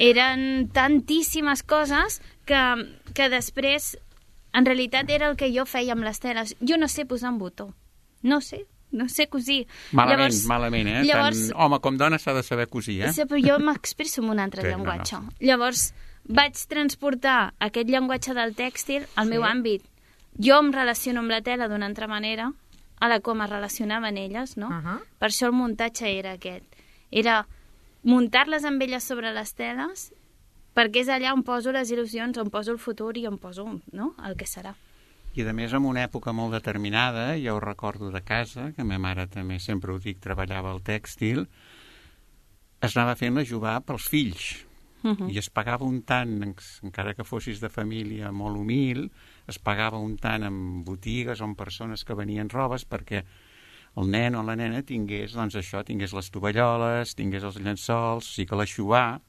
[SPEAKER 7] Eren tantíssimes coses que després, en realitat, era el que jo feia amb les teles. Jo no sé posar un botó. No sé cosir.
[SPEAKER 5] Malament, Llavors, tant home com dona s'ha de saber cosir,
[SPEAKER 7] Sí, però jo m'expreso en un altre llenguatge. No. Llavors, vaig transportar aquest llenguatge del tèxtil al meu àmbit. Jo em relaciono amb la tela d'una altra manera, a la com es relacionaven elles, no? Per això el muntatge era aquest. Era muntar-les amb elles sobre les teles, perquè és allà on poso les il·lusions, on poso el futur i on poso, no?, el que serà.
[SPEAKER 5] I a més, en una època molt determinada, ja ho recordo de casa, que ma mare també, sempre ho dic, treballava el tèxtil, es anava fent la jugar pels fills. I es pagava un tant, encara que fossis de família molt humil, es pagava un tant en botigues o en persones que venien robes perquè el nen o la nena tingués, doncs això, tingués les tovalloles, tingués els llençols, o sigui que l'aixuvar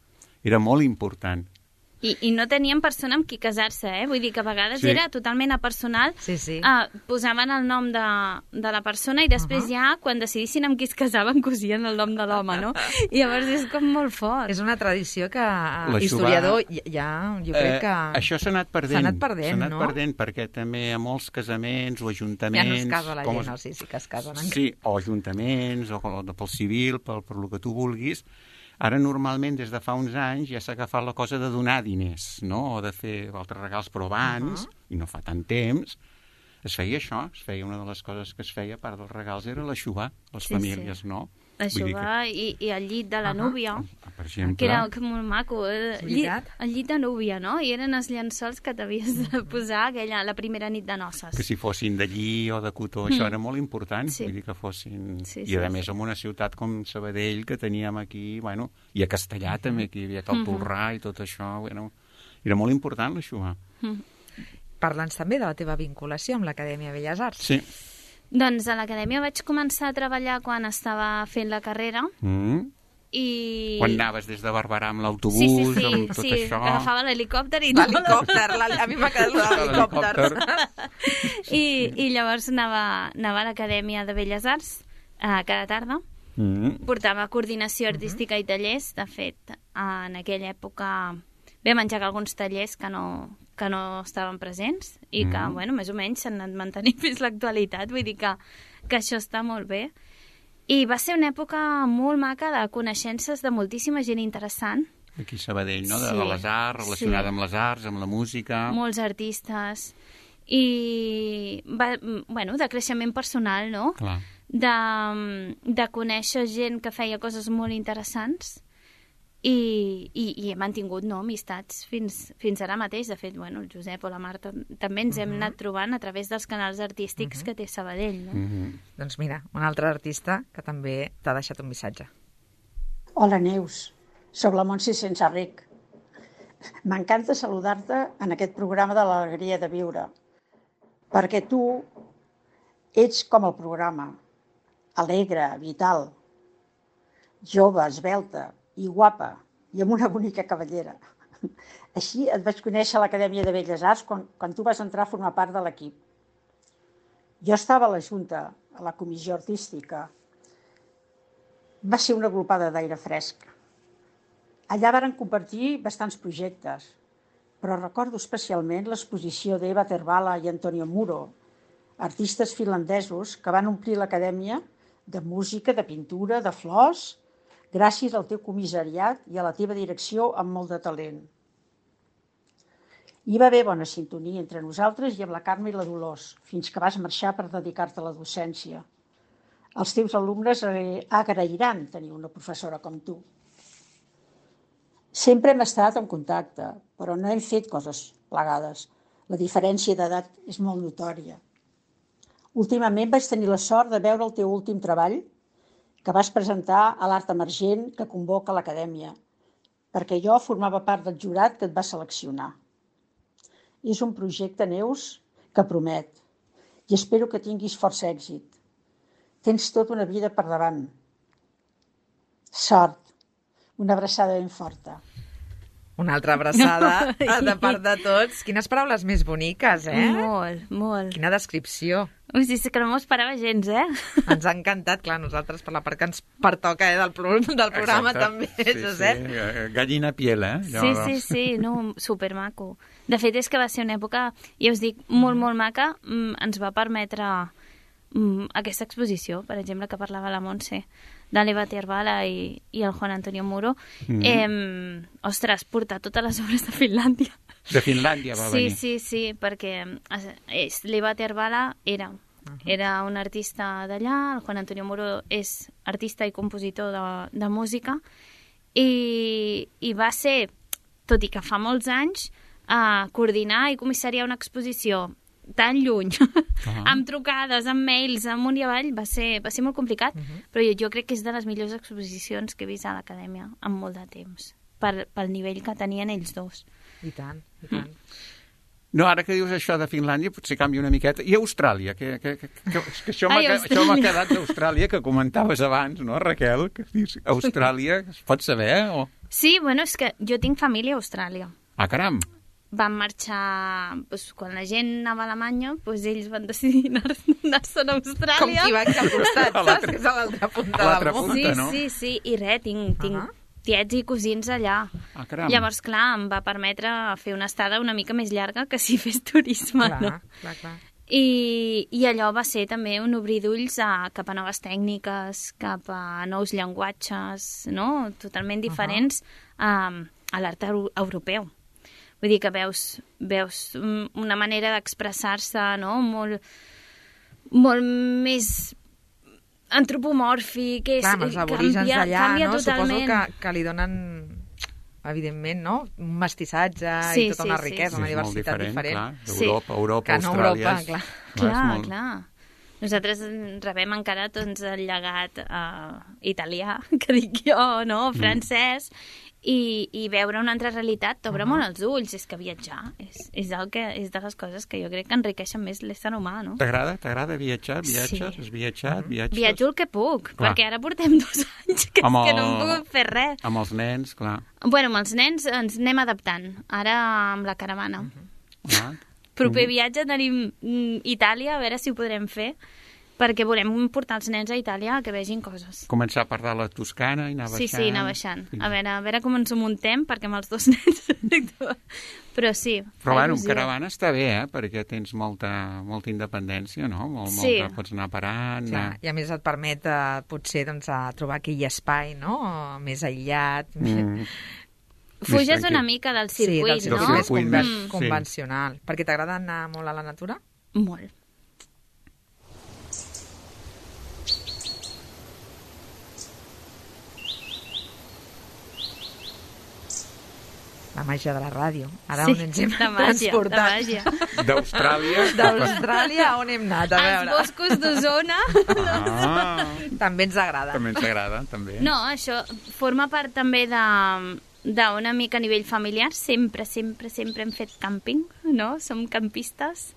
[SPEAKER 5] era molt important.
[SPEAKER 7] I no tenien persona amb qui casar-se, Vull dir que a vegades era totalment apersonal. Posaven el nom de la persona i després ja, quan decidissin amb qui es casaven, cosien el nom de l'home, no? I llavors és com molt fort.
[SPEAKER 4] És una tradició que historiador ja, jo crec que...
[SPEAKER 5] Això s'ha anat perdent.
[SPEAKER 4] S'ha anat perdent, no?
[SPEAKER 5] S'ha anat perdent, perquè també a molts casaments o ajuntaments...
[SPEAKER 4] Ja no es casa la gent, sí que es casen.
[SPEAKER 5] Sí, o ajuntaments, o pel civil, pel que tu vulguis. Ara, normalment, des de fa uns anys, ja s'ha agafat la cosa de donar diners, no? O de fer altres regals, però abans, i no fa tant temps, es feia això, una de les coses que es feia, a part dels regals, era l'eixugar, les famílies, no?
[SPEAKER 7] L'eixugar i el llit de la núvia,
[SPEAKER 5] per exemple.
[SPEAKER 7] que era molt maco. El llit de núvia, no? I eren els llençols que t'havies de posar la primera nit de noces.
[SPEAKER 5] Que si fossin de lli o de cotó, això era molt important, vull dir que fossin... I a més, en una ciutat com Sabadell, que teníem aquí, bueno, i a Castellà també, que hi havia el Polrà i tot això, era molt important l'eixugar.
[SPEAKER 4] Parla'ns també de la teva vinculació amb l'Acadèmia Belles Arts.
[SPEAKER 5] Sí.
[SPEAKER 7] Doncs a l'Acadèmia vaig començar a treballar quan estava fent la carrera i...
[SPEAKER 5] Quan anaves des de Barberà amb l'autobús, amb tot això...
[SPEAKER 7] Sí, agafava l'helicòpter i...
[SPEAKER 4] L'helicòpter, a mi m'ha quedat l'helicòpter.
[SPEAKER 7] I llavors anava a l'Acadèmia de Belles Arts cada tarda. Portava coordinació artística i tallers. De fet, en aquella època vam engegar alguns tallers que no estaven presents i que, bueno, més o menys s'han anat mantenint fins l'actualitat, vull dir que això està molt bé. I va ser una època molt maca de coneixences de moltíssima gent interessant.
[SPEAKER 5] Aquí a Sabadell, no? De les arts, relacionada amb les arts, amb la música...
[SPEAKER 7] Molts artistes. I, bueno, de creixement personal, no?
[SPEAKER 5] Clar.
[SPEAKER 7] De conèixer gent que feia coses molt interessants. I he mantingut amistats fins ara mateix. De fet, bueno, el Josep o la Marta també ens hem anat trobant a través dels canals artístics que té Sabadell, no?
[SPEAKER 4] Doncs mira, un altre artista que també t'ha deixat un missatge.
[SPEAKER 9] Hola, Neus. Soc la Montse Sensarric. M'encanta saludar-te en aquest programa de l'alegria de viure, perquè tu ets com el programa, alegre, vital, jove, esvelta, i guapa, i amb una bonica cavallera. Així et vaig conèixer a l'Acadèmia de Belles Arts quan tu vas entrar a formar part de l'equip. Jo estava a la Junta, a la comissió artística. Va ser una glopada d'aire fresc. Allà varen compartir bastants projectes, però recordo especialment l'exposició d'Eva Tervala i Antonio Muro, artistes finlandesos que van omplir l'Acadèmia de música, de pintura, de flors, gràcies al teu comissariat i a la teva direcció amb molt de talent. Hi va haver bona sintonia entre nosaltres i amb la Carme i la Dolors, fins que vas marxar per dedicar-te a la docència. Els teus alumnes agrairan tenir una professora com tu. Sempre hem estat en contacte, però no hem fet coses plegades. La diferència d'edat és molt notòria. Últimament vaig tenir la sort de veure el teu últim treball, que vas presentar a l'Art Emergent que convoca l'Acadèmia, perquè jo formava part del jurat que et va seleccionar. És un projecte, Neus, que promet, i espero que tinguis força èxit. Tens tota una vida per davant. Sort. Una abraçada ben forta.
[SPEAKER 4] Una altra abraçada de part de tots. Quines paraules més boniques,
[SPEAKER 7] Molt, molt.
[SPEAKER 4] Quina descripció.
[SPEAKER 7] Ui, sí, que no m'ho esperava gens,
[SPEAKER 4] Ens ha encantat, clar, nosaltres per la part que ens pertoca del programa. Exacte. També, Josep.
[SPEAKER 5] Sí. Gallina piel,
[SPEAKER 7] Sí, no, supermaco. De fet, és que va ser una època, ja us dic, molt, molt maca. Ens va permetre aquesta exposició, per exemple, que parlava la Montse, de l'Eva Tervala i el Juan Antonio Muro. Ostres, portar totes les obres de Finlàndia.
[SPEAKER 5] De Finlàndia va venir.
[SPEAKER 7] Sí, perquè l'Eva Tervala era un artista d'allà, el Juan Antonio Muro és artista i compositor de música, i va ser, tot i que fa molts anys, coordinar i comissariar una exposició tan lluny, amb trucades, amb mails, amunt i avall, va ser molt complicat, però jo crec que és de les millors exposicions que he vist a l'Acadèmia en molt de temps, pel nivell que tenien ells dos.
[SPEAKER 4] I tant, i tant.
[SPEAKER 5] No, ara que dius això de Finlàndia, potser canvia una miqueta. I Austràlia, que això m'ha quedat d'Austràlia, que comentaves abans, no, Raquel? Que dius, Austràlia, es pot saber? O...
[SPEAKER 7] Sí, bueno, és que jo tinc família a Austràlia.
[SPEAKER 5] Ah, caram!
[SPEAKER 7] Van marxar, doncs, quan la gent anava a Alemanya, doncs ells van decidir anar-se'n a Austràlia.
[SPEAKER 4] Com qui va aquí al costat, saps? Que és a l'altra punta del món.
[SPEAKER 5] punta, no?
[SPEAKER 7] Sí, i res, tinc tiets i cosins allà.
[SPEAKER 5] Ah, caram.
[SPEAKER 7] Llavors, clar, em va permetre fer una estada una mica més llarga que si fes turisme, no?
[SPEAKER 4] Clar.
[SPEAKER 7] I allò va ser també un obrir d'ulls cap a noves tècniques, cap a nous llenguatges, no? Totalment diferents a l'art europeu. Vull dir que veus una manera d'expressar-se, no? Molt més antropomòrfic.
[SPEAKER 4] Clar, amb els aborígens d'allà, no?
[SPEAKER 7] Totalment.
[SPEAKER 4] Suposo que li donen, evidentment, no? Un mestissatge i tota una riquesa, una diversitat diferent.
[SPEAKER 5] Clar, Europa, Austràlia...
[SPEAKER 7] Clar. Nosaltres rebem encara doncs, el llegat italià, que dic jo, no? Francès, i veure una altra realitat t'obre molt els ulls. És que viatjar és de les coses que jo crec que enriqueixen més l'ésser humà, no?
[SPEAKER 5] T'agrada viatjar? Viatges? Has viatjat?
[SPEAKER 7] Viatjo el que puc, perquè ara portem 2 anys que no hem pogut fer res.
[SPEAKER 5] Amb els nens, clar.
[SPEAKER 7] Bueno, amb els nens ens anem adaptant, ara amb la caravana. Proper viatge tenim Itàlia, a veure si ho podrem fer, perquè volem portar els nens a Itàlia que vegin coses.
[SPEAKER 5] Començar per dalt la Toscana i anar baixant.
[SPEAKER 7] Sí, anar baixant. A veure com ens ho muntem, perquè amb els 2 nens... Però sí.
[SPEAKER 5] Però bueno, amb caravana està bé, perquè tens molta independència, no? Molta, pots anar parant...
[SPEAKER 4] Clar, i a més et permet, potser, doncs, a trobar aquell espai, no? Més aïllat...
[SPEAKER 7] Fuges una mica del circuit,
[SPEAKER 4] no? Sí, del circuit més convencional. Perquè t'agrada anar molt a la natura?
[SPEAKER 7] Molt.
[SPEAKER 4] La màgia de la ràdio. Ara on ens hem transportat? D'Austràlia, on hem anat? A veure.
[SPEAKER 7] Els boscos d'Osona.
[SPEAKER 4] També ens agrada.
[SPEAKER 5] També.
[SPEAKER 7] No, això forma part també d'una mica a nivell familiar. Sempre hem fet càmping, no? Som campistes.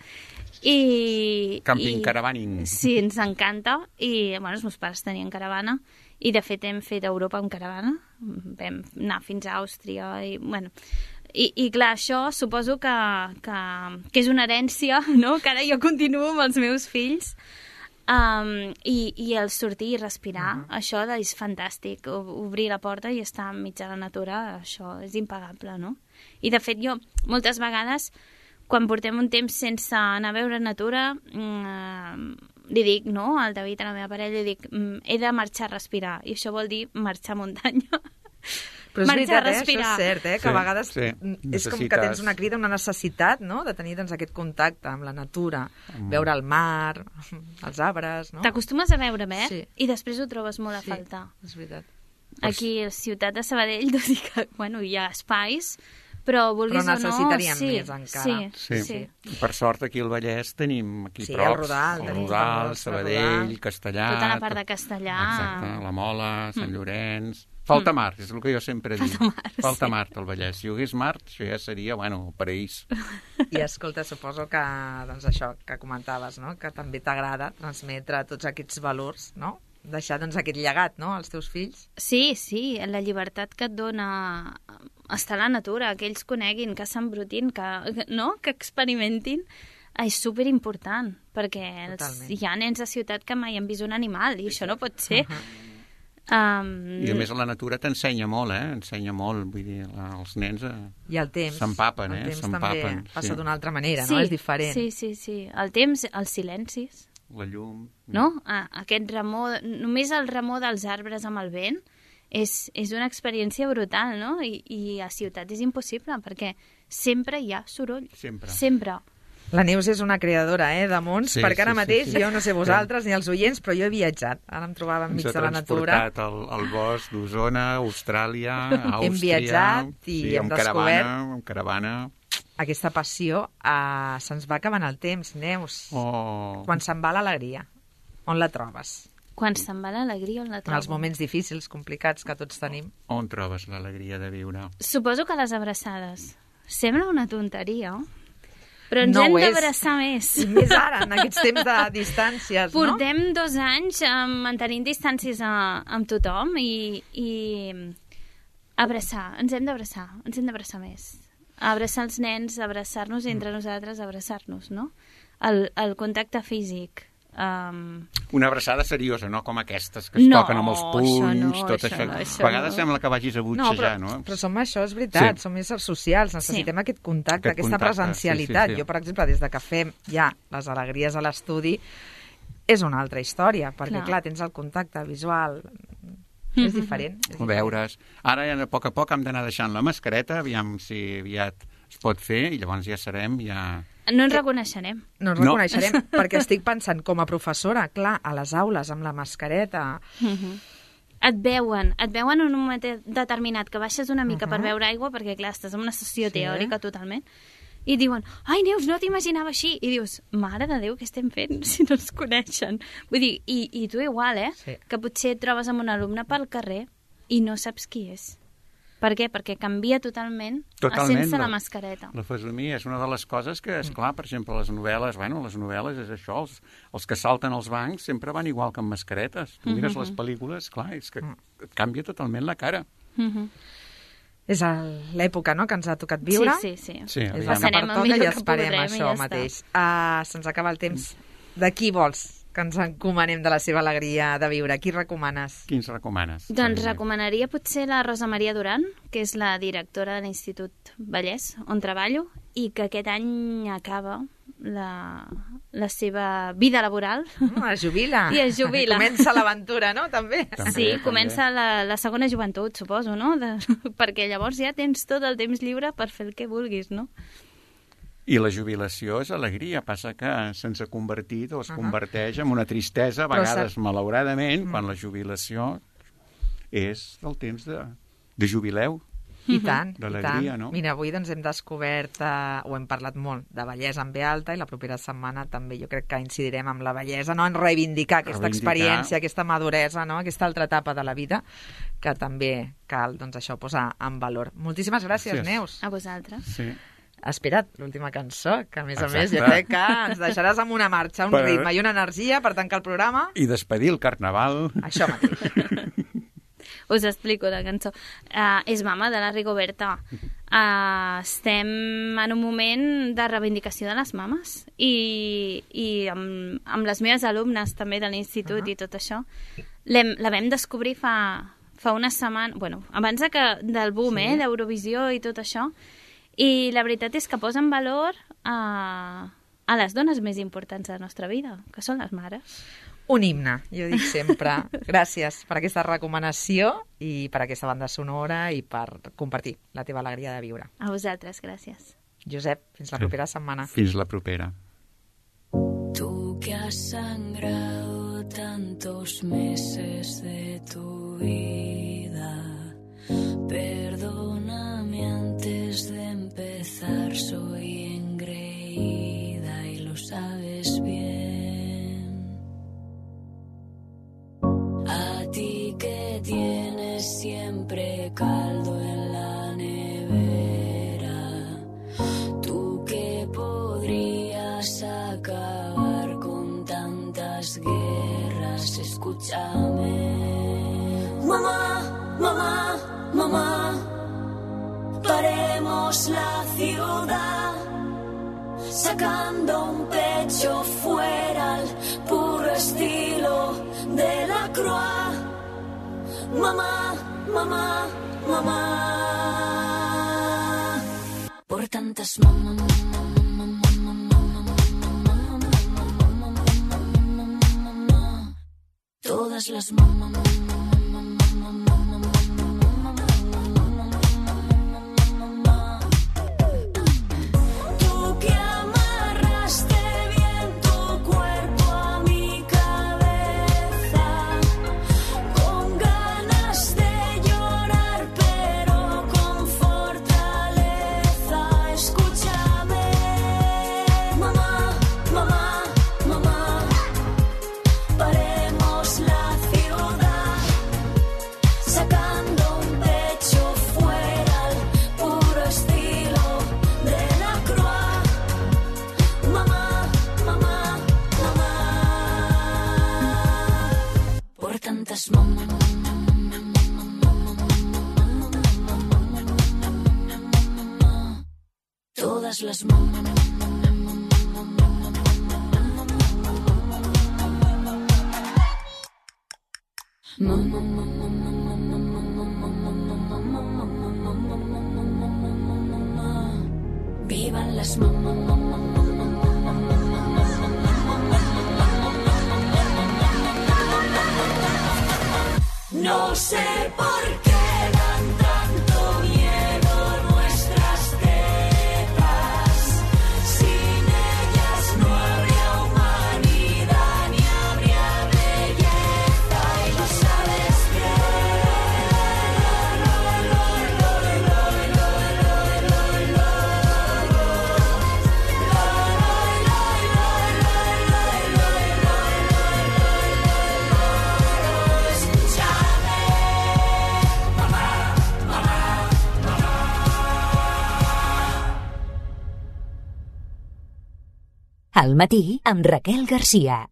[SPEAKER 5] Caravaning.
[SPEAKER 7] Sí, ens encanta. I, bueno, els meus pares tenien caravana. I, de fet, hem fet Europa amb caravana. Vam anar fins a Àustria. I clar, això suposo que és una herència, no? Que ara jo continuo amb els meus fills. I el sortir i respirar, això és fantàstic. Obrir la porta i estar enmig de la natura, això és impagable, no? I, de fet, jo moltes vegades, quan portem un temps sense anar a veure natura... li dic, no, al David, a la meva parella, li dic, he de marxar a respirar, i això vol dir marxar a muntanya.
[SPEAKER 4] Però és veritat, això és cert, que a vegades és com que tens una crida, una necessitat, no?, de tenir doncs, aquest contacte amb la natura, veure el mar, els arbres, no?
[SPEAKER 7] T'acostumes a veure bé, i després ho trobes molt a faltar.
[SPEAKER 4] Sí, és veritat.
[SPEAKER 7] Aquí, a la ciutat de Sabadell, tot i que, bueno, hi ha espais, però vulguis o no...
[SPEAKER 4] Però necessitaríem més encara.
[SPEAKER 7] Sí.
[SPEAKER 5] Per sort, aquí al Vallès tenim aquí
[SPEAKER 4] prop.
[SPEAKER 5] El Rodal, Sabadell, Castellà...
[SPEAKER 7] Tota la part de Castellà.
[SPEAKER 5] Exacte, la Mola, Sant Llorenç... Falta mar, és el que jo sempre dic. Falta mar al Vallès. Si hi hagués mar, això ja seria, bueno, el paraís.
[SPEAKER 4] I escolta, suposo que, doncs això que comentaves, no?, que també t'agrada transmetre tots aquests valors, no?, deixar doncs aquest llegat, no?, als teus fills.
[SPEAKER 7] Sí, la llibertat que et dona estar a la natura, que ells coneguin, que s'embrutin, que experimentin, és superimportant, perquè hi ha nens a ciutat que mai han vist un animal, i això no pot ser.
[SPEAKER 5] I a més la natura t'ensenya molt, ensenya molt, vull dir, els nens
[SPEAKER 4] i el temps
[SPEAKER 5] s'empapen,
[SPEAKER 4] el temps també passa d'una altra manera, no? És diferent.
[SPEAKER 7] Sí, el temps, els silencis,
[SPEAKER 5] la llum,
[SPEAKER 7] no? Aquest remor, només el remor dels arbres amb el vent és una experiència brutal, no? I a ciutat és impossible, perquè sempre hi ha soroll. Sempre.
[SPEAKER 4] La Neus és una creadora, de mons, perquè ara mateix, jo no sé vosaltres ni els oients, però jo he viatjat. Ara em trobava enmig de la natura.
[SPEAKER 5] Ens ha transportat al bosc d'Osona, Austràlia, Àustria...
[SPEAKER 4] Hem viatjat i hem descobert...
[SPEAKER 5] Amb caravana...
[SPEAKER 4] Aquesta passió se'ns va acabant el temps, Neus. Quan se'n va l'alegria, on la trobes?
[SPEAKER 7] Quan se'n va l'alegria, on la trobes?
[SPEAKER 4] En els moments difícils, complicats que tots tenim.
[SPEAKER 5] On trobes l'alegria de viure?
[SPEAKER 7] Suposo que les abraçades. Sembla una tonteria, però ens hem d'abraçar més.
[SPEAKER 4] I més ara, en aquests temps de distàncies, no?
[SPEAKER 7] Portem 2 anys mantenint distàncies amb tothom i abraçar, ens hem d'abraçar més. abraçar els nens, abraçar-nos entre nosaltres, abraçar-nos, no? El contacte físic.
[SPEAKER 5] Una abraçada seriosa, no com aquestes que es toquen amb els punys, tot això. A vegades sembla que vagis a butxejar, no?
[SPEAKER 4] Però som això, és veritat, som éssers socials, necessitem aquest contacte, aquesta presencialitat. Jo, per exemple, des de que fem ja les alegries a l'estudi, és una altra història, perquè, clar, tens el contacte visual, és diferent.
[SPEAKER 5] Ho veures. Ara, a poc hem d'anar deixant la mascareta, aviam si aviat es pot fer, i llavors ja serem,
[SPEAKER 7] No ens reconeixerem.
[SPEAKER 4] No ens reconeixerem, perquè estic pensant, com a professora, clar, a les aules, amb la mascareta...
[SPEAKER 7] Et veuen en un moment determinat, que baixes una mica per beure aigua, perquè, clar, estàs en una sessió teòrica totalment, i diuen, ai, Neus, no t'imaginava així. I dius, mare de Déu, què estem fent si no ens coneixen? Vull dir, i tu igual, que potser et trobes amb un alumne pel carrer i no saps qui és. Per què? Perquè canvia totalment sense la mascareta.
[SPEAKER 5] La fesomia és una de les coses que, esclar, per exemple, les novel·les és això, els que salten als bancs sempre van igual que amb mascaretes. Tu mires les pel·lícules, clar, és que et canvia totalment la cara.
[SPEAKER 4] És l'època, no?, que ens ha tocat viure.
[SPEAKER 7] Sí.
[SPEAKER 4] És la que pertoca i esperem això mateix. Se'ns acaba el temps. De qui vols que ens encomanem de la seva alegria de viure? Qui recomanes?
[SPEAKER 5] Quins recomanes?
[SPEAKER 7] Doncs recomanaria potser la Rosa Maria Duran, que és la directora de l'Institut Vallès, on treballo, i que aquest any acaba la seva vida laboral.
[SPEAKER 4] Es jubila.
[SPEAKER 7] I es jubila.
[SPEAKER 4] Comença l'aventura, no?, també.
[SPEAKER 7] Sí, comença la segona joventut, suposo, no? Perquè llavors ja tens tot el temps lliure per fer el que vulguis, no?
[SPEAKER 5] I la jubilació és alegria, passa que se'ns ha convertit o es converteix en una tristesa, a vegades malauradament, quan la jubilació és el temps de jubileu.
[SPEAKER 4] I tant,
[SPEAKER 5] d'alegria, no?
[SPEAKER 4] Mira, avui doncs hem descobert, o hem parlat molt de bellesa en ve alta, i la propera setmana també jo crec que incidirem amb la bellesa, no?, en reivindicar aquesta experiència, aquesta maduresa, no?, aquesta altra etapa de la vida, que també cal, doncs, això, posar en valor. Moltíssimes gràcies, Neus.
[SPEAKER 7] A vosaltres.
[SPEAKER 5] Sí.
[SPEAKER 4] Espera't, l'última cançó, que a més a més jo crec que ens deixaràs amb una marxa, un ritme i una energia per tancar el programa.
[SPEAKER 5] I despedir el carnaval.
[SPEAKER 4] Això mateix.
[SPEAKER 7] Us explico la cançó. És Mama, de la Rigoberta. Estem en un moment de reivindicació de les mames i amb les meves alumnes també de l'institut i tot això. La vam descobrir fa una setmana, bueno, abans del boom, d'Eurovisió i tot això. I la veritat és que posa en valor a les dones més importants de la nostra vida, que són les mares.
[SPEAKER 4] Un himne, jo dic sempre. Gràcies per aquesta recomanació i per aquesta banda sonora i per compartir la teva alegria de viure.
[SPEAKER 7] A vosaltres, gràcies.
[SPEAKER 4] Josep, fins la propera setmana.
[SPEAKER 5] Fins la propera.
[SPEAKER 10] Tú que has sangrado tantos meses de tu vida, perdóname antes de empezar, soy engreída y lo sabes bien. A ti que tienes siempre caldo en la nevera, tú que podrías acabar con tantas guerras, escúchame. Mamá, mamá, mamá, paremos la ciudad, sacando un pecho fuera al puro estilo de la Croix. Mamá, mamá, mamá, por tantas mamás. Todas las mamás. todas las mamás. Vivan las mamás. No sé por qué dan tanto miedo nuestras tetas. Sin ellas no habría humanidad ni habría belleza. Y lo sabes
[SPEAKER 1] Al matí amb Raquel Garcia.